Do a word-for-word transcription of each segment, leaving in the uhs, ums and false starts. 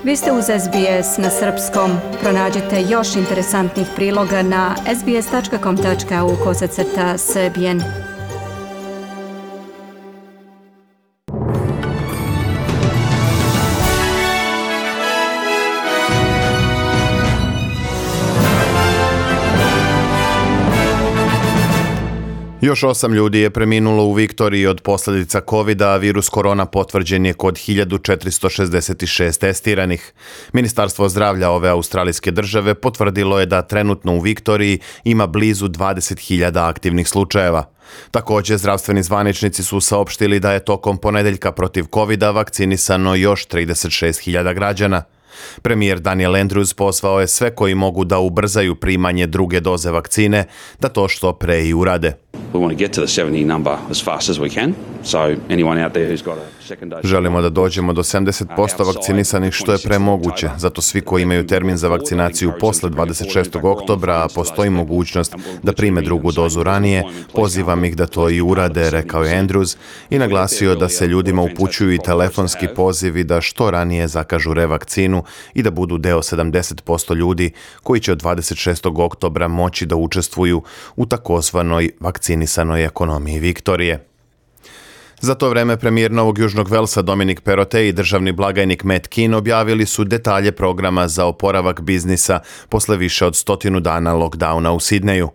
Vi ste uz S B S na srpskom. Pronađite još interesantnih priloga na sbs.com.au kosacrta srbijen. Još osam ljudi je preminulo u Viktoriji od posljedica kovida, a virus korona potvrđen je kod hiljadu četiristo šezdeset šest testiranih. Ministarstvo zdravlja ove australijske države potvrdilo je da trenutno u Viktoriji ima blizu dvadeset hiljada aktivnih slučajeva. Također, zdravstveni zvaničnici su saopštili da je tokom ponedeljka protiv kovida vakcinisano još trideset šest hiljada građana. Premijer Daniel Andrews pozvao je sve koji mogu da ubrzaju primanje druge doze vakcine da to što pre i urade. Želimo da dođemo do sedamdeset posto vakcinisanih što je premoguće, zato svi koji imaju termin za vakcinaciju posle dvadeset šestog oktobra, a postoji mogućnost da prime drugu dozu ranije, pozivam ih da to i urade, rekao je Andrews i naglasio da se ljudima upućuju i telefonski pozivi da što ranije zakažu revakcinu i da budu deo sedamdeset posto ljudi koji će od dvadeset šestog oktobra moći da učestvuju u takozvanoj vakcinisanoj ekonomiji Viktorije. Za to vreme premijer Novog Južnog Velsa Dominic Perrottet i državni blagajnik Matt Kean objavili su detalje programa za oporavak biznisa posle više od stotinu dana lockdowna u Sidneju.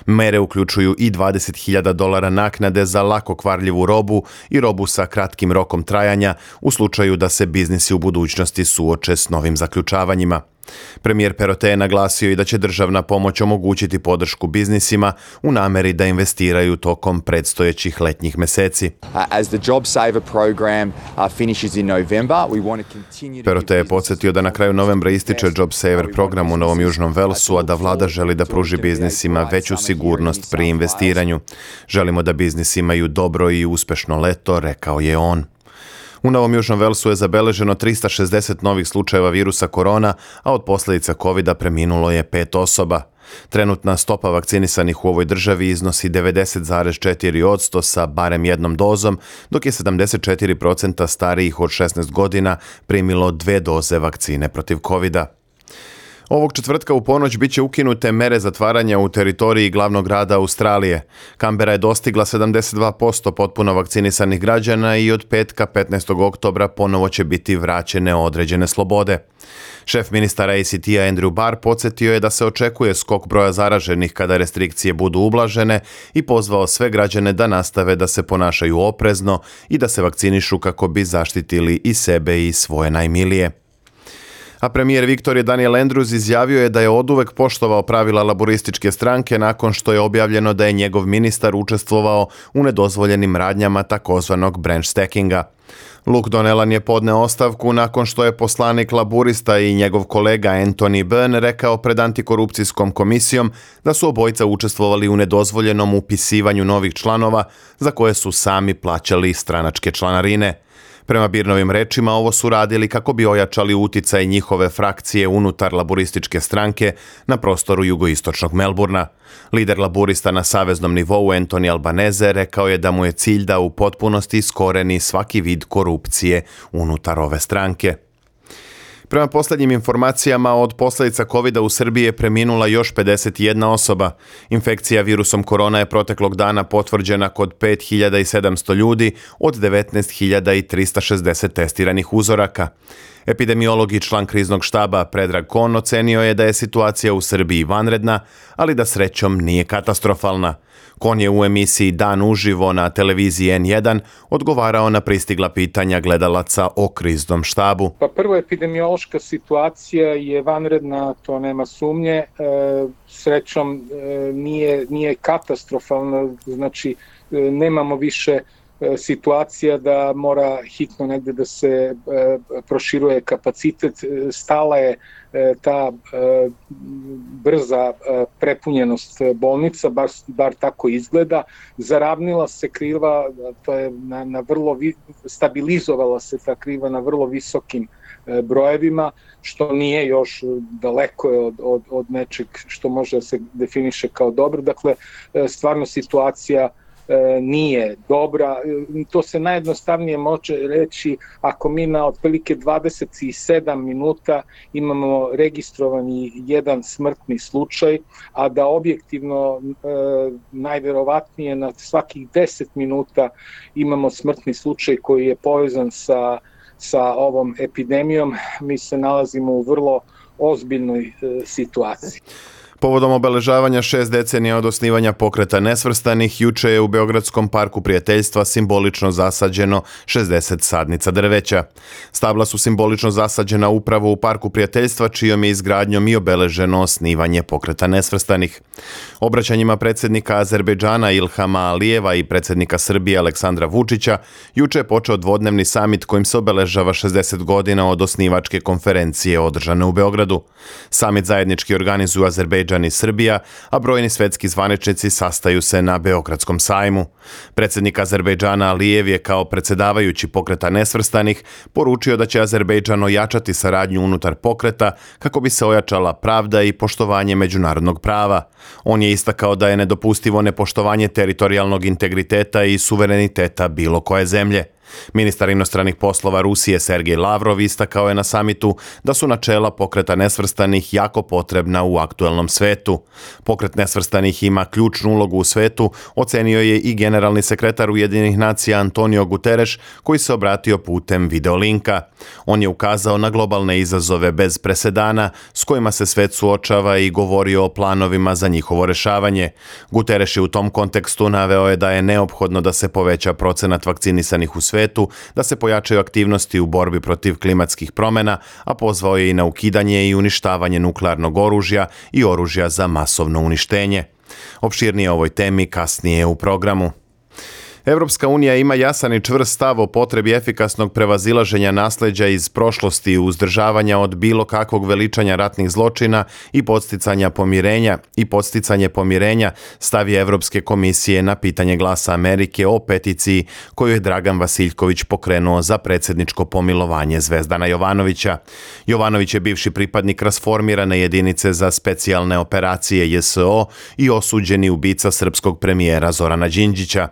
Mere uključuju i dvadeset hiljada dolara naknade za lako kvarljivu robu i robu sa kratkim rokom trajanja u slučaju da se biznisi u budućnosti suoče s novim zaključavanjima. Premijer Perrottet je naglasio i da će državna pomoć omogućiti podršku biznisima u nameri da investiraju tokom predstojećih letnjih meseci. Perrottet je podsjetio da na kraju novembra ističe JobSaver program u Novom Južnom Velsu, a da vlada želi da pruži biznisima veću sigurnost pri investiranju. Želimo da biznisi imaju dobro i uspešno leto, rekao je on. U Novom Južnom Velsu je zabeleženo trista šezdeset novih slučajeva virusa korona, a od posljedica kovida preminulo je pet osoba. Trenutna stopa vakcinisanih u ovoj državi iznosi devedeset zarez četiri posto sa barem jednom dozom, dok je sedamdeset četiri posto starijih od šesnaest godina primilo dve doze vakcine protiv kovida. Ovog četvrtka u ponoć biće ukinute mere zatvaranja u teritoriji glavnog grada Australije. Kambera je dostigla sedamdeset dva posto potpuno vakcinisanih građana i od petka petnaestog oktobra ponovo će biti vraćene određene slobode. Šef ministara A C T-a Andrew Barr podsjetio je da se očekuje skok broja zaraženih kada restrikcije budu ublažene i pozvao sve građane da nastave da se ponašaju oprezno i da se vakcinišu kako bi zaštitili i sebe i svoje najmilije. A premijer Viktorije Daniel Andrews izjavio je da je oduvek poštovao pravila laborističke stranke nakon što je objavljeno da je njegov ministar učestvovao u nedozvoljenim radnjama takozvanog branch stackinga. Luke Donnellan je podneo ostavku nakon što je poslanik laburista i njegov kolega Anthony Byrne rekao pred antikorupcijskom komisijom da su obojica učestvovali u nedozvoljenom upisivanju novih članova za koje su sami plaćali stranačke članarine. Prema Byrnovim rečima, ovo su radili kako bi ojačali uticaj njihove frakcije unutar laborističke stranke na prostoru jugoistočnog Melburna. Lider laburista na saveznom nivou Anthony Albanese rekao je da mu je cilj da u potpunosti iskoreni svaki vid korupcije unutar ove stranke. Prema posljednjim informacijama, od posljedica kovida u Srbiji je preminula još pedeset jedna osoba. Infekcija virusom korona je proteklog dana potvrđena kod pet hiljada sedamsto ljudi od devetnaest hiljada trista šezdeset testiranih uzoraka. Epidemiolog i član kriznog štaba Predrag Kon ocenio je da je situacija u Srbiji vanredna, ali da srećom nije katastrofalna. Kon je u emisiji Dan uživo na televiziji N jedan odgovarao na pristigla pitanja gledalaca o kriznom štabu. Pa prvo, epidemiološka situacija je vanredna, to nema sumnje. E, srećom e, nije, nije katastrofalna, znači e, nemamo više situacija da mora hitno negde da se e, proširuje kapacitet. Stala je e, ta e, brza e, prepunjenost bolnica, bar, bar tako izgleda. Zaravnila se kriva, to je na, na vrlo vi, stabilizovala se ta kriva na vrlo visokim e, brojevima, što nije još daleko od, od, od nečeg što može da se definiše kao dobro. Dakle, e, stvarno situacija nije dobra. To se najjednostavnije može reći ako mi na otprilike dvadeset sedam minuta imamo registrovani jedan smrtni slučaj, a da objektivno najverovatnije na svakih deset minuta imamo smrtni slučaj koji je povezan sa, sa ovom epidemijom. Mi se nalazimo u vrlo ozbiljnoj situaciji. Povodom obeležavanja šest decenija od osnivanja Pokreta nesvrstanih, juče je u Beogradskom parku prijateljstva simbolično zasađeno šezdeset sadnica drveća. Stabla su simbolično zasađena upravo u Parku prijateljstva, čijom je izgradnjom i obeleženo osnivanje Pokreta nesvrstanih. Obraćanjima predsjednika Azerbejdžana Ilhama Alijeva i predsjednika Srbije Aleksandra Vučića, juče je počeo dvodnevni samit kojim se obeležava šezdeset godina od osnivačke konferencije održane u Beogradu. Samit zajednički organizuju Azerbejdžan i Srbija, a brojni svetski zvaničnici sastaju se na Beogradskom sajmu. Predsjednik Azerbejdžana Alijev je kao predsjedavajući Pokreta nesvrstanih poručio da će Azerbejdžan ojačati saradnju unutar pokreta kako bi se ojačala pravda i poštovanje međunarodnog prava. On je istakao da je nedopustivo nepoštovanje teritorijalnog integriteta i suvereniteta bilo koje zemlje. Ministar inostranih poslova Rusije Sergej Lavrov istakao je na samitu da su načela Pokreta nesvrstanih jako potrebna u aktuelnom svetu. Pokret nesvrstanih ima ključnu ulogu u svetu, ocenio je i generalni sekretar Ujedinjenih nacija Antonio Guterres, koji se obratio putem videolinka. On je ukazao na globalne izazove bez presedana s kojima se svet suočava i govorio o planovima za njihovo rešavanje. Guterres je u tom kontekstu naveo je da je neophodno da se poveća procenat vakcinisanih u svetu, da se pojačaju aktivnosti u borbi protiv klimatskih promjena, a pozvao je i na ukidanje i uništavanje nuklearnog oružja i oružja za masovno uništenje. Opširnije o ovoj temi kasnije u programu. Evropska unija ima jasan i čvrst stav o potrebi efikasnog prevazilaženja nasleđa iz prošlosti, uzdržavanja od bilo kakvog veličanja ratnih zločina i podsticanja pomirenja i podsticanje pomirenja, stav je Evropske komisije na pitanje Glasa Amerike o peticiji koju je Dragan Vasiljković pokrenuo za predsjedničko pomilovanje Zvezdana Jovanovića. Jovanović je bivši pripadnik rasformirane jedinice za specijalne operacije J S O i osuđeni ubica srpskog premijera Zorana Đinđića.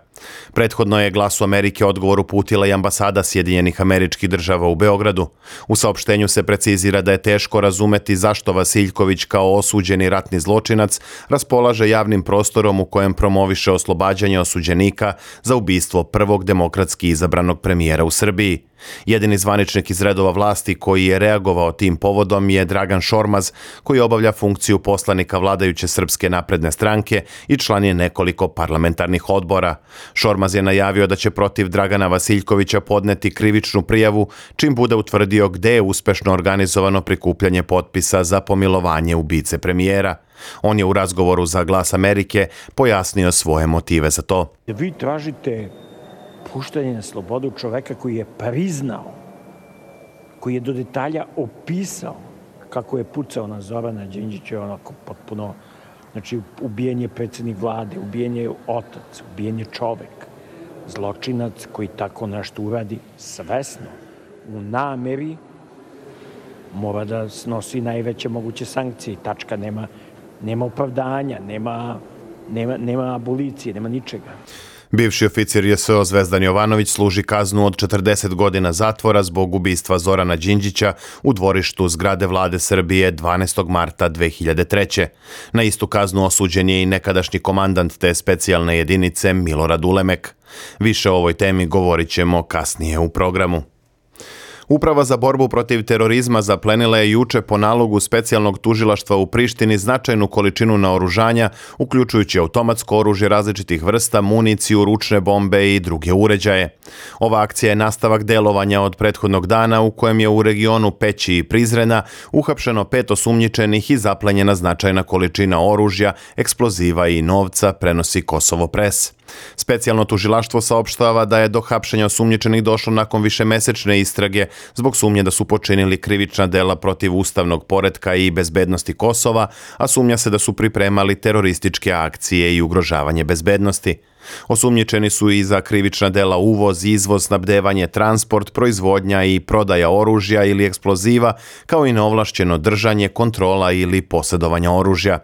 Prethodno je Glasu Amerike odgovor uputila i ambasada Sjedinjenih Američkih Država u Beogradu. U saopštenju se precizira da je teško razumeti zašto Vasiljković kao osuđeni ratni zločinac raspolaže javnim prostorom u kojem promoviše oslobađanje osuđenika za ubistvo prvog demokratski izabranog premijera u Srbiji. Jedini zvaničnik iz redova vlasti koji je reagovao tim povodom je Dragan Šormaz, koji obavlja funkciju poslanika vladajuće Srpske napredne stranke i član je nekoliko parlamentarnih odbora. Šormaz je najavio da će protiv Dragana Vasiljkovića podneti krivičnu prijavu čim bude utvrdio gde je uspešno organizovano prikupljanje potpisa za pomilovanje ubice premijera. On je u razgovoru za Glas Amerike pojasnio svoje motive za to. Vi tražite puštanje na slobodu čoveka koji je priznao, koji je do detalja opisao kako je pucao na Zorana Đinđića, onako potpuno, znači ubijen je predsjednik vlade, ubijen je otac, ubijen je čovek, zločinac koji tako nešto uradi svesno, u nameri, mora da snosi najveće moguće sankcije, tačka, nema, nema opravdanja, nema, nema, nema abolicije, nema ničega. Bivši oficir J S O Zvezdan Jovanović služi kaznu od četrdeset godina zatvora zbog ubistva Zorana Đinđića u dvorištu zgrade vlade Srbije dvanaestog marta dve hiljade treće. Na istu kaznu osuđen je i nekadašnji komandant te specijalne jedinice Milorad Ulemek. Više o ovoj temi govorit ćemo kasnije u programu. Uprava za borbu protiv terorizma zaplenila je juče po nalogu specijalnog tužilaštva u Prištini značajnu količinu naoružanja, uključujući automatsko oružje različitih vrsta, municiju, ručne bombe i druge uređaje. Ova akcija je nastavak delovanja od prethodnog dana u kojem je u regionu Peći i Prizrena uhapšeno pet osumnjičenih i zaplenjena značajna količina oružja, eksploziva i novca, prenosi Kosovo Pres. Specijalno tužilaštvo saopštava da je do hapšenja osumnjičenih došlo nakon višemesečne istrage zbog sumnje da su počinili krivična dela protiv ustavnog poretka i bezbednosti Kosova, a sumnja se da su pripremali terorističke akcije i ugrožavanje bezbednosti. Osumnjičeni su i za krivična dela uvoz, izvoz, snabdevanje, transport, proizvodnja i prodaja oružja ili eksploziva, kao i neovlašćeno držanje, kontrola ili posjedovanja oružja.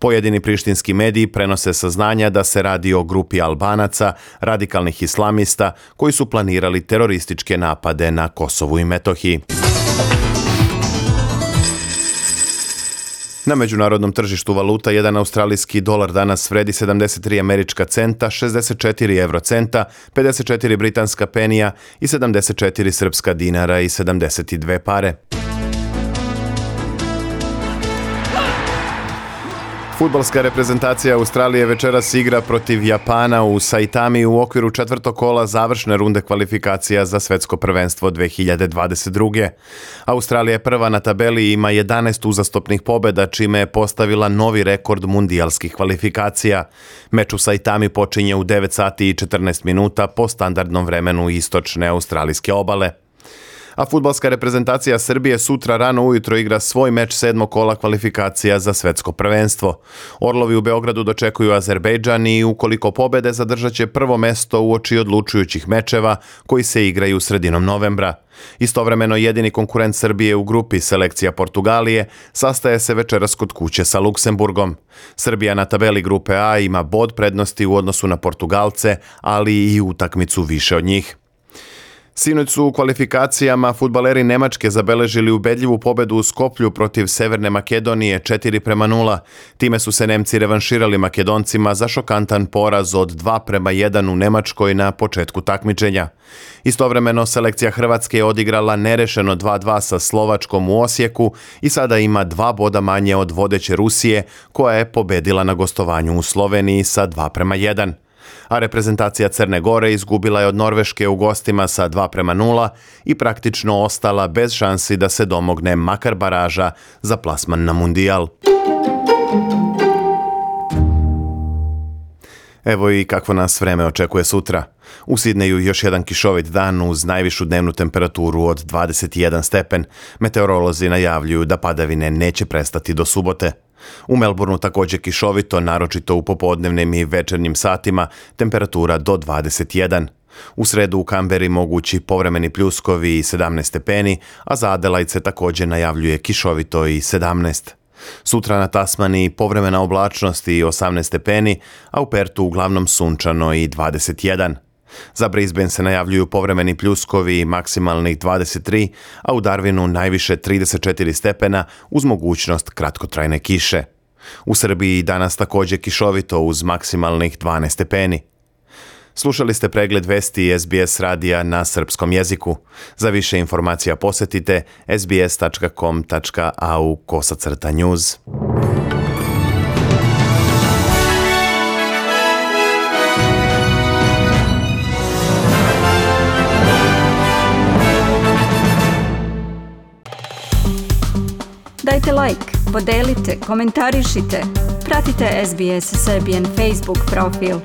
Pojedini prištinski mediji prenose saznanja da se radi o grupi Albanaca, radikalnih islamista, koji su planirali terorističke napade na Kosovu i Metohiji. Na međunarodnom tržištu valuta jedan australijski dolar danas vredi sedamdeset tri američka centa, šezdeset četiri evrocenta, pedeset četiri britanska penija i sedamdeset četiri srpska dinara i sedamdeset dve pare. Fudbalska reprezentacija Australije večeras igra protiv Japana u Saitami u okviru četvrtog kola završne runde kvalifikacija za svetsko prvenstvo dve hiljade dvadeset druge. Australija je prva na tabeli i ima jedanaest uzastopnih pobjeda, čime je postavila novi rekord mundijalskih kvalifikacija. Meč u Saitami počinje u devet sati i četrnaest minuta po standardnom vremenu istočne australijske obale. A fudbalska reprezentacija Srbije sutra rano ujutro igra svoj meč sedmog kola kvalifikacija za svetsko prvenstvo. Orlovi u Beogradu dočekuju Azerbejdžan i ukoliko pobede zadržat će prvo mesto uoči odlučujućih mečeva koji se igraju sredinom novembra. Istovremeno jedini konkurent Srbije u grupi, selekcija Portugalije, sastaje se večeras kod kuće sa Luksemburgom. Srbija na tabeli grupe A ima bod prednosti u odnosu na Portugalce, ali i utakmicu više od njih. Sinoć su u kvalifikacijama fudbaleri Nemačke zabeležili ubedljivu pobedu u Skoplju protiv Severne Makedonije četiri prema nula. Time su se Nemci revanširali Makedoncima za šokantan poraz od dva prema jedan u Nemačkoj na početku takmičenja. Istovremeno selekcija Hrvatske je odigrala nerešeno dva dva sa Slovačkom u Osijeku i sada ima dva boda manje od vodeće Rusije, koja je pobedila na gostovanju u Sloveniji sa dva prema jedan. A reprezentacija Crne Gore izgubila je od Norveške u gostima sa dva prema nula i praktično ostala bez šansi da se domogne makar baraža za plasman na Mundijal. Evo i kakvo nas vreme očekuje sutra. U Sidneju još jedan kišovit dan uz najvišu dnevnu temperaturu od dvadeset jedan stepen. Meteorolozi najavljuju da padavine neće prestati do subote. U Melbourneu također kišovito, naročito u popodnevnim i večernjim satima, temperatura do dvadeset jedan. U sredu u Kamberi mogući povremeni pljuskovi i sedamnaest stepeni, a za Adelaide se također najavljuje kišovito i sedamnaest. Sutra na Tasmaniji povremena oblačnost i osamnaest stepeni, a u Pertu uglavnom sunčano i dvadeset jedan. Za Brisbane se najavljuju povremeni pljuskovi i maksimalnih dvadeset tri, a u Darwinu najviše trideset četiri stepena uz mogućnost kratkotrajne kiše. U Srbiji danas također kišovito uz maksimalnih dvanaest stepeni. Slušali ste pregled vesti S B S radija na srpskom jeziku. Za više informacija posjetite s b s tačka com tačka a u kosacrta news. Dajte like, podelite, komentarišite, pratite S B S Serbian Facebook profil.